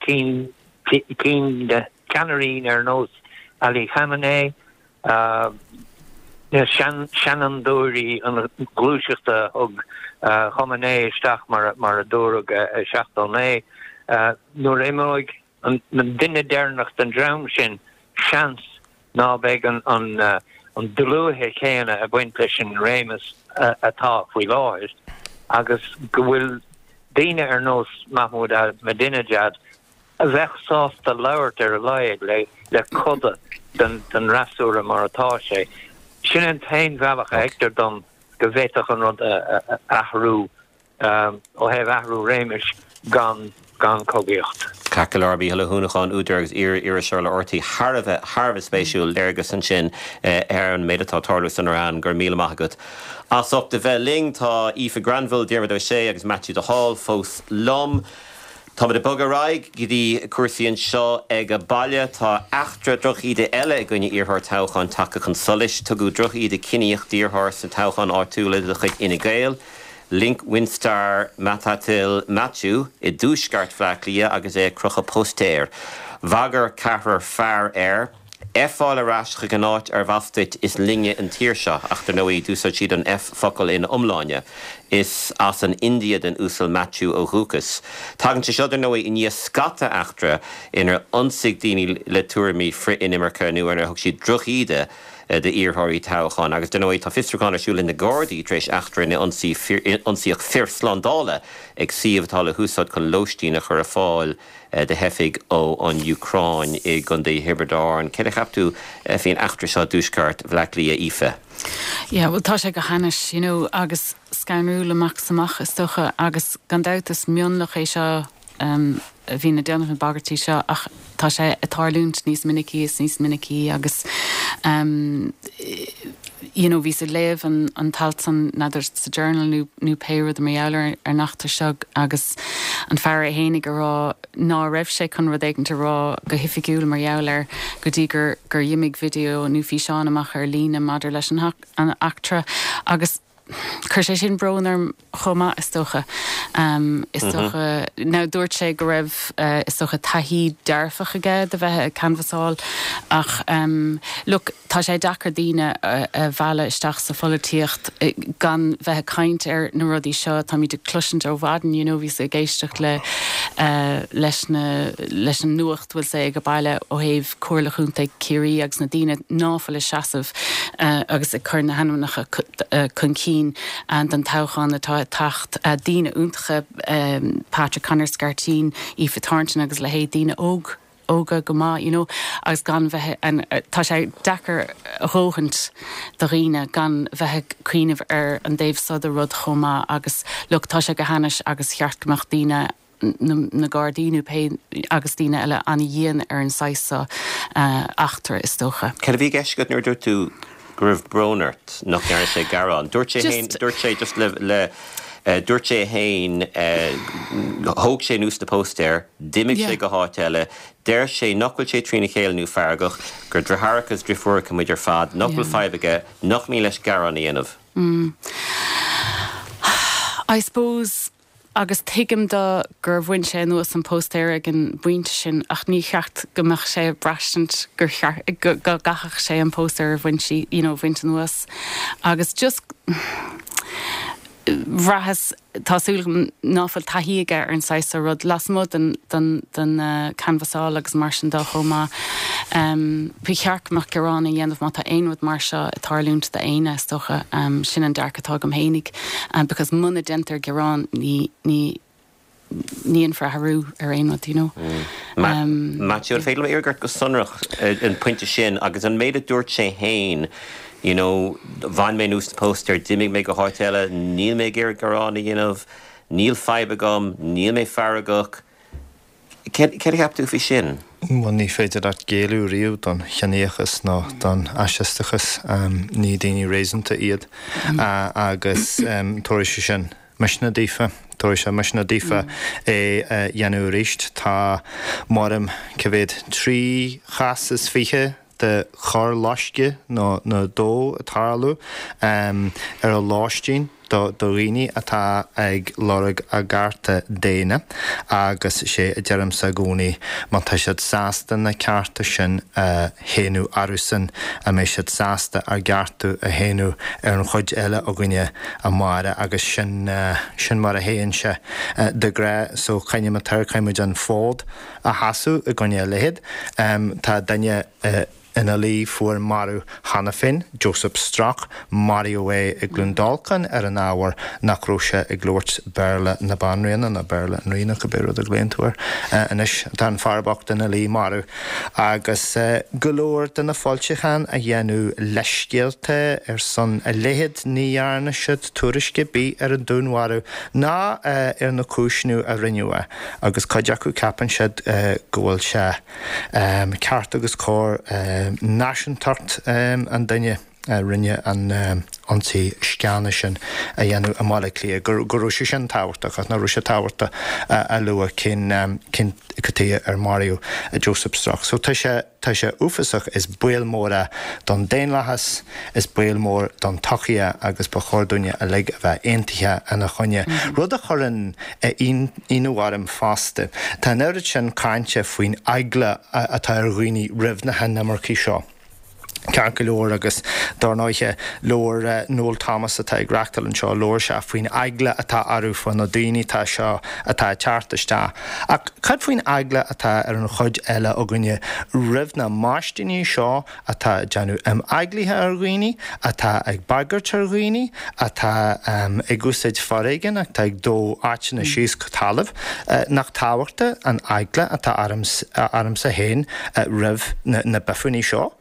cinn, ceannairí ar nós Ali Khamenei, Na seanfhondúirí an ghluaiseachta a thug Khamenei isteach, mar a dúradh i 79, nuair a imeoidh an duine deireanach den dream sin, seans ná beidh an dlúithe chéanna ag baint leis an réimeas atá faoi láthair agus go bhfuil daoine ar nós Mahmoud Ahmadinejad a bheadh sásta labhairt ar a laghad le coda den fhreasúra mar atá sé. Sin an t-aon bhealach a fheictear dom go bhféadfadh an rud a athrú ó thaobh athrú réimis gan gan cogaíocht. Ceart go leor, Mícheál Ó hUanacháin, údar agus iar-iriseoir le RTÉ, thar a bheith, thar a bheith spéisiúil, léargas ansin ar an méid atá ag tarlú san Iaráin. Go raibh míle maith agat as ucht a bheith linn. Tá Aoife Granville, Diarmuid Ó Sé agus Maitiú de Hál fós liom. Táimid ag bogadh ar aghaidh go dtí cúrsaí anseo ag baile. Tá eachtra drochíde eile i gcoinne iarrthóir toghcháin tagtha chun solais. Tugadh drochíde ciníoch d'iarrthóir sna toghcháin áitiúla de chuid Fhine Gael, Linc Winstar Mathathil Mathew, i dtuaisceart Bhaile Átha Cliath agus é ag crochadh póstaeir. Bhagair ceathrar fear air. F-áil ar ais chuig an áit arbh as duit, is linne an tír seo. Ach dar ndóigh, d'úsáid siad an F-focal ina iomláine. Is as an India don Uasal Mathew ó dhúchas. Tagann sé seo, dar ndóigh, i ndiaidh scata eachtra inar ionsaigh daoine le tuairimí frith-inimirce nó inar thug siad drochíde d'iarrthóirí toghcháin. Agus dar ndóigh, tá fiosrúchán ar siúl ag na Gardaí tar éis eachtra ina ionsaíodh fir slándála ag suíomh atá le húsáid chun lóistín a chur ar fáil do theifigh ó an Úcráin i gContae Thiobraid Árann. Céard a cheap tú faoin eachtra seo i dtuaisceart Bhaile Átha Cliath, Aoife? Yeah, bhuel tá sé go hainnis, you know, agus scanrúil amach is amach is dócha agus gan dabht is mionlach é seo a bhíonn ag déanamh na bagairtí seo ach tá sé ag tarlúint níos minicí is níos minicí agus you know, bhíos ag léamh an, an t-alt san, n'fheadar sa Journal nó, nó pé rud mar gheall ar, ar an eachtra seo agus an fear é fhéinig ag rá ná raibh sé chun rud éigint a rá go hoifigiúil mar gheall air go dtí gur, gur dh'imigh video nó físeán amach ar líne maidir leis an, an eachtra agus. Chuir sé sin brón orm chomh maith, is dócha. Is dócha, now dúirt sé go raibh, is dócha, taithí dearfach aige de bheith ag canbhasáil ach look, tá sé deacair daoine a mhealladh isteach sa pholaitíocht gan bheith ag caint ar na rudaí seo. Táimid ag cloisint ó mhaidin, you know, bhíos ag éisteacht le, leis na, leis an nuacht, bhfuil sé ag baile ó thaobh Comhairle Chontae Chiarraí agus na daoine ná fuil ag seasamh agus ag cur na hainmneacha chun cinn don toghchán atá ag teacht. Daoine iontacha, Patrick Connor Scarteen, Aoife Thornton agus a leithéid, daoine óg, óga go maith, you know, agus gan bheith, tá sé deacair a dhóthaint do dhaoine gan bheith ag cuimhneamh ar an dtaobh so de rud chomh maith agus look, tá sé go hainnis agus cheart go mbeadh daoine na Gardaí nó pé agus daoine eile an-dhian ar an saghas so eachtra, is dócha. Cad a bhí i gceist agat nuair a dúirt tú go raibh brón ort nach ndearna sé gearán? Dúirt sé féin, dúirt sé just le, le, dúirt sé féin, thóg sé anuas na póstaeir, d'imigh sé go háit eile, deir sé nach bhfuil sé trína chéile nó feargach, gur deartháireacha is driofúracha muid ar fad, nach bhfuil fadhb aige, nach mian leis gearán a dhéanamh. I suppose Agus tuigim do gur bhain sé anuas an póstaer ag an bpointe sin ach ní cheart go mbeadh sé ag braistint gur cheart, go gcaithfeadh sé an póstaer a bhaint, you know, a bhaint anuas. Agus just bhraitheas, tá súil agam ná fuil taithí aige ar an saghas seo rud, lasmuigh den, den, den canbhasáil agus mar sin de chomh maith. Ba cheart go mbeadh gearán á dhéanamh má tá aon rud mar seo ag tarlúint d'éinne, is dócha. Sin an dearcadh atá agam fhéinig. Because muna déantar gearán ní, ní, ní dhéanfar athrú ar aon rud, you know. Maitiú, an féidir liom iarraidh ort go sonrach an pointe sin agus an méid a dúirt sé fhéin, you know, bhain mé anuas na póstaeir, d'imigh mé go háit eile, níl mé ag iarraidh gearán a dhéanamh, níl fadhb agam, níl mé feargach. Céard a cheap tú faoi sin? Bhuel, ní féidir leat géilleadh riamh don chiníochas ná don fhaisisteachas. Ní daoine réasúnta iad. Agus tabharfaidh sé sin misneach daofa. Tabharfaidh sé misneach daofa é a dhéanamh arís. Tá, maram, cá mhéad, 23 chás de choir loiscthe nó dó ag tarlú ar a lóistín do dhaoine atá ag lorg a gcearta daonna agus sé a deirimse i gcónaí, má tá siad sásta na cearta sin a shéanadh orthusan, an mbeidh siad sásta ár gcearta a shéanadh ar an chuid eile againne amárach agus sin, sin mar a théann sé de ghnáth so coinneoidh muid air, caithfidh muid an fód a sheasamh i gcoinne a leithéid. Tá duine ina luí fuar marbh cheana féin, Joseph Strauch, maraíodh é i gCluain Dolcáin ar an ábhar nach raibh sé ag labhairt Béarla na Banríona, nó Béarla an Rí nó cibé rud a ghlaonn tú air anois. Tá an fear bocht ina luí marbh. Agus go leor de na foilseacháin a dhéanadh leithscéalta ar son a leithéid, ní dhearna siad tuairisc ar bith ar an dúnmharú ná ar na cúiseanna a rinneadh é. Agus cuid acu ceapann siad go bhfuil sé ceart agus cóir náisiúntacht an duine a rinne an ionsaí sceana sin a dhéanamh i mBaile Átha Cliath, go raibh sé sin tábhachtach ach nach raibh sé tábhachtach a lua cén cén cad chuige ar maraíodh Joseph Strauch. So tá sé tá sé uafásach, is baol mór é don daonlathas, is baol mór don tsochaí é agus ba chóir dúinne uilig a bheith aontaithe ina choinne. Rud a chuireann ionadh orm fosta. Tá an oiread sin cainte faoin eagla atá ar dhaoine roimh na hinimircigh seo. Ceart go leor, agus dár ndóighe, labhair Noel Thomas atá ag reachtáil anseo, labhair sé faoin eagla atá orthu faoi na daoine atá seo atá ag teacht isteach. Ach cad faoin eagla atá ar an chuid eile againne roimh na maistíní seo atá ag déanamh imeaglaithe ar dhaoine, atá ag bagairt ar dhaoine, atá ag úsáid foréigin, atá ag dó áiteanna síos go talamh. Nach tábhachtaí an eagla atá ormsa féin roimh na bifúnaí seo,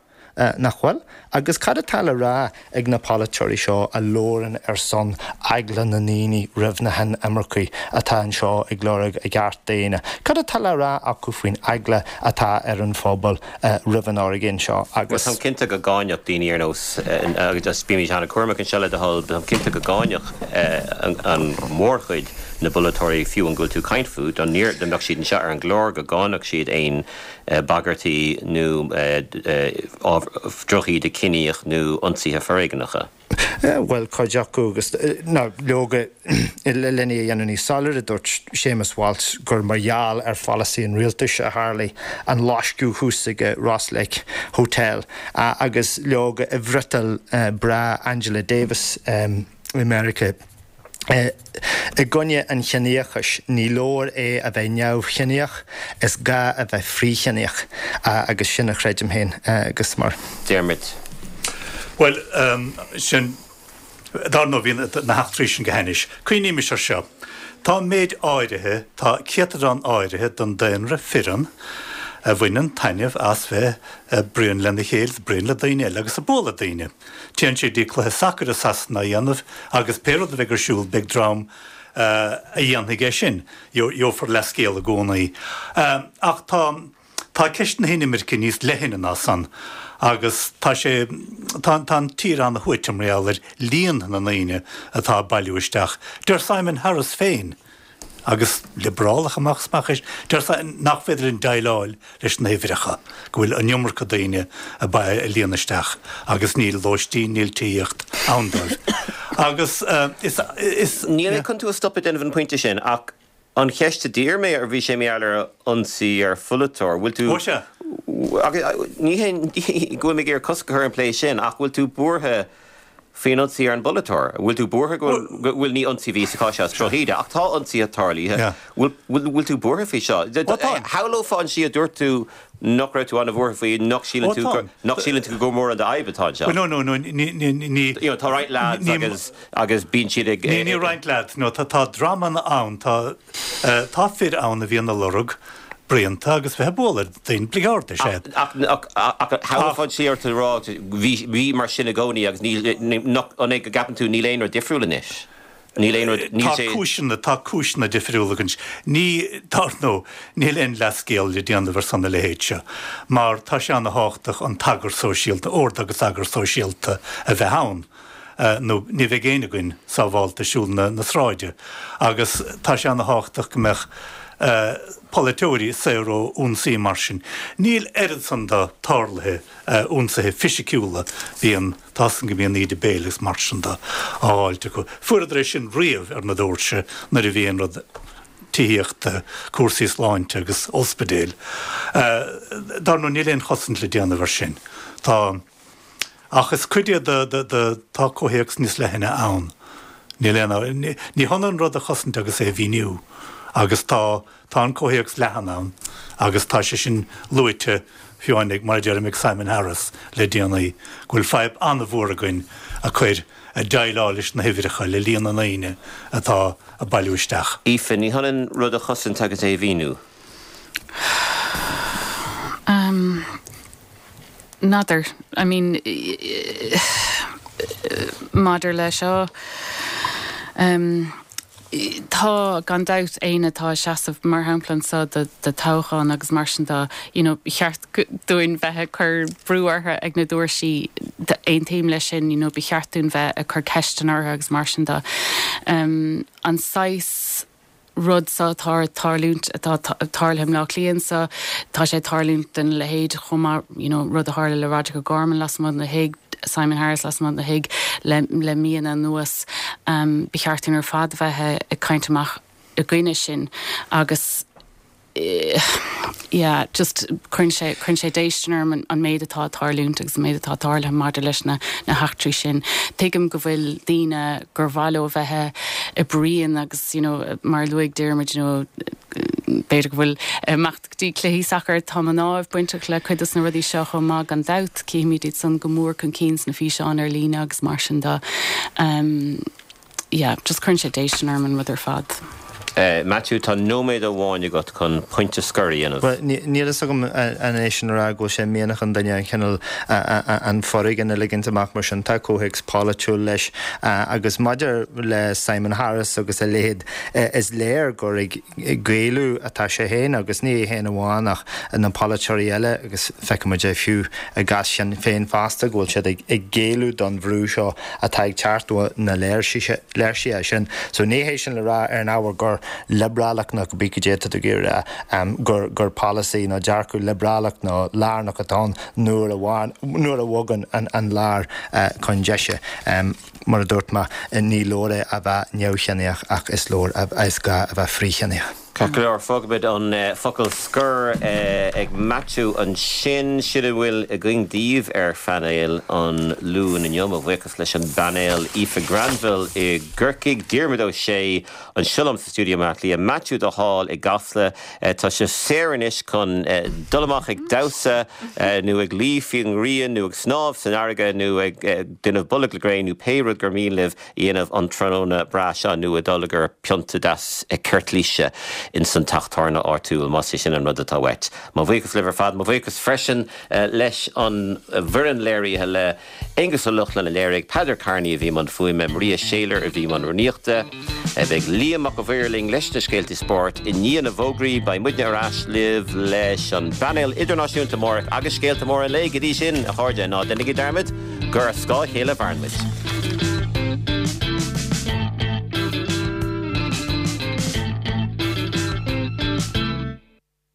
nach bhfuil? Agus cad atá le rá ag na polaiteoirí seo a labhrann ar son eagla na ndaoine roimh na hinimircigh atá anseo ag lorg a gceart daonna? Cad atá le rá acu faoin eagla atá ar an phobal roimh an fhoréigean seo agus. Bhuel, táim cinnte go gcáinfeadh daoine ar nós, agus bímid an-chúramach anseo le do thoil, táim cinnte go gcáinfeadh an mhórchuid na bpolaiteoirí, fiú an go bhfuil tú ag caint fúthu, dá mbeadh siad anseo ar an gclár, go gcáinfeadh siad aon bagairtí nó drochíde ciníoch nó ionsaithe foréigneacha. Bhuel, cuid acu agus, nó leoga, lena dhéanamh níos soiléire, dúirt Séamus Walsh gur mar gheall ar pholasaí an rialtais a tharlaigh an loisceadh thuas ag Ross Lake Hotel agus leoga i bhfriotal breá Angela Davis i Meiriceá. I gcoinne an chiníochais, ní leor é a bheith neamhchiníoch, is gá a bheith frithchiníoch, agus sin a chreidim féin agus mar. Diarmuid. Bhuel, sin, dar ndóigh, bhí na heachtraí sin go hainnis. Cuimhnímis ar seo, tá méid áirithe, tá céatadán áirithe den daonra fireann a bhaineann taitneamh as bheith ag bruíon lena chéile, ag bruíon le daoine eile agus ag bualadh daoine. Téann siad go dtí cluiche sacair i Sasana á dhéanamh agus pé rud a bheidh ar siúl beidh dream a dhéanfaidh é sin. Gheofar leathscéal i gcónaí. Ach tá tá ceist na hinimirce níos leithne ná san agus tá sé tá tá an tír ana-shuaite mar gheall ar líon na ndaoine atá ag bailiú isteach. Deir Simon Harris féin agus liobrálach amach is amach é, deir sé nach féidir linn déileáil leis na huimhreacha, go bhfuil an iomarca daoine ag líonadh isteach agus níl lóistín, níl tithíocht ann dóibh. Agus is, is. Níl mé chun tú a stopadh ag déanamh an pointe sin ach an cheist a d'iarr mé ar bhí sé mar gheall ar ionsaí ar pholaiteoir, bhfuil tú. Ó sea. Ní hé go bhfuil mé ag iarraidh cosc a chur ar an bplé sin ach bhfuil tú buartha faoin ionsaí ar an bpolaiteoir? Bhfuil tú buartha go bhfuil, bhuel ní ionsaí a bhí sa chás seo, is drochíde, ach tá ionsaithe tarlaithe. Bhfuil, bhfuil tú buartha faoi seo? Ó tá. Shamhlófá an tslí a dúirt tú nach raibh tú an-bhuartha faoi, nach síleann tú gur, nach síleann tú gur mórán de fhadhb atá anseo? Bhuel, no, no, no, ní, ní, ní. You know, tá roinnt lads agus, agus bíonn siad ag. Ní, ní roinnt lads, no, tá, tá dreamanna ann, tá, tá fir ann a bhíonn ag lorg bruíonta agus bheith ag bualadh daoine, bligeard is ea. Ach, ach, ach, shamhlófá an tslí ar tú ag rá, bhí, bhí mar sin i gcónaí agus níl, nach, an é go gceapann tú níl aon rud difriúil anois? Níl aon rud, níl Tá sé. cúiseanna, tá cúiseanna difriúla againn. Ní, dar ndóigh, níl aon leathscéal le déanamh ar son a leithéid seo, mar tá sé ana-thábhachtach an t-eagar sóisialta, ord agus eagar sóisialta a bheith ann. nó ní bheidh éinne againn sábhálta ag siúl na sráide agus tá sé ana-thábhachtach go mbeadh polaiteoirí saor ó ionsaí mar sin. Níl oiread san de tarlaithe, ionsaithe fisiciúla, bíonn, tá 's againn go mbíonn íde béil agus mar sin de á fháilt acu. Fuaireadar é sin riamh ar na doirse nuair a bhí aon rud tithíochta, cúrsaí sláinte agus ospidéil. Dar ndóigh níl aon chosaint le déanamh ar sin. Tá. Ach is cuid é de, de, de, tá comhthéacs níos leithne ann. Níl aon, ní, ní hionann rud a chosaint agus é a mhíniú. Agus tá, tá an comhthéacs leathan ann agus tá sé sin luaite, fiú amháin ag, mar a deirim, ag Simon Harris le déanaí, go bhfuil fadhb an-mhór againn a cur, a déileáil leis na huimhreacha, le líon na ndaoine atá ag bailiú isteach. Aoife, ní hionann rud a chosaint agus é a mhíniú. N'fheadar. I mean, maidir le seo, tá, gan dabht, éinne atá ag seasamh, mar shampla anseo do toghchán agus mar sin de, you know, ba cheart dúinn bheith ag cur brú orthu ag na doirsí, aontaím leis sin, you know, ba cheart dúinn bheith ag cur ceisteanna orthu agus mar sin de. An saghas. rud seo atá ag tarlúint, atá tarlaithe i mBleá Cliath anseo, tá sé ag tarlúint den leithéid chomh maith, you know, rud a tharla le Roderic O'Gorman lasmuigh den thigh, Simon Harris lasmuigh den thigh le le míonna anuas. Ba cheart dúinn ar fad a bheith ag caint amach i gcoinne sin agus yeah, just cuireann sé, cuireann sé déistin orm an méid atá ag tarlúint agus an méid atá tarlaithe maidir leis na, na heachtraí sin. Tuigim go bhfuil daoine gur mhaith leo bheith ag bruíon agus, you know, mar a luaigh Diarmuid, you know, b'fhéidir go bhfuil imeacht go dtí cluichí sacair, tá mná bainteach le cuid dos na rudaí seo chomh maith gan dabht, cífimid iad san go mór chun cinn sna físeáin ar líne agus mar sin de. Um, yeah, just cuireann sé déistin orm an rud ar fad. Matthew, tá nóiméad amháin agat chun pointe scoir a dhéanamh. Bhuel, níl fhios agam an é sin a rá go bhfuil sé mianach an duine an cineál an foréigean a ligint amach mar sin. Tá comhthéacs polaitiúil leis. Agus maidir le Simon Harris agus a leithéid, is léir gur ag géilleadh atá sé féin agus ní é féin amháin ach na polaiteoirí eile agus feicimid é fiú i gcás Shinn Féin fosta go bhfuil siad ag géilleadh don bhrú seo atá ag teacht ó na léirsithe sin. So ní hé sin le rá ar an ábhar gur liobrálach nó cibé cad é atá tú ag iarraidh a rá gur polasaí nó dearcadh liobrálach nó lárnach atá ann nuair a nuair a bhogann an lár chun deise. Mar a dúirt mé, ní leor é a bheith neamhchiníoch ach is leor, is gá a bheith frithchiníoch. Ceart go leor, fágfaimid an focal scoir ag Maitiú ansin. Sin a bhfuil againn daoibh ar phainéal an Luain inniu. Mo bhuíochas leis an bpainéal, Aoife Granville i gCorcaigh, Diarmuid Ó Sé anseo liom sa stiúideo i mBaile Átha Cliath, Maitiú de Hál i gCasla. Tá sibh saor anois chun dul amach ag damhsa nó ag luí faoin ngrian nó ag snámh san fharraige nó ag déanamh bolg le gréin nó pé rud gur mian libh. dhéanamh an tráthnóna breá seo nó ag dul ag ól pionta deas ceirtlíse ins an teach tábhairne áitiúil, más é sin an rud atá uait. Mo bhuíochas libh ar fad. Mo bhuíochas freisin leis an bhfoireann léirithe, le Aonghus Ó Lochlainn a léirigh, Peadar Kearney a bhí i mbun fuaime, Maria Shayler a bhí i mbun rúnaíochta. Beidh Liam Mac a' Mhaoir linn leis na scéaltaí spóirt i ndiaidh na bhfógraí. Beidh muidne ar ais libh leis an bpainéal idirnáisiúnta amárach agus scéalta móra an lae. Go dtí sin, a chairde, ná déanaigí dearmad gur ar scáth a chéile a mhaireann muid.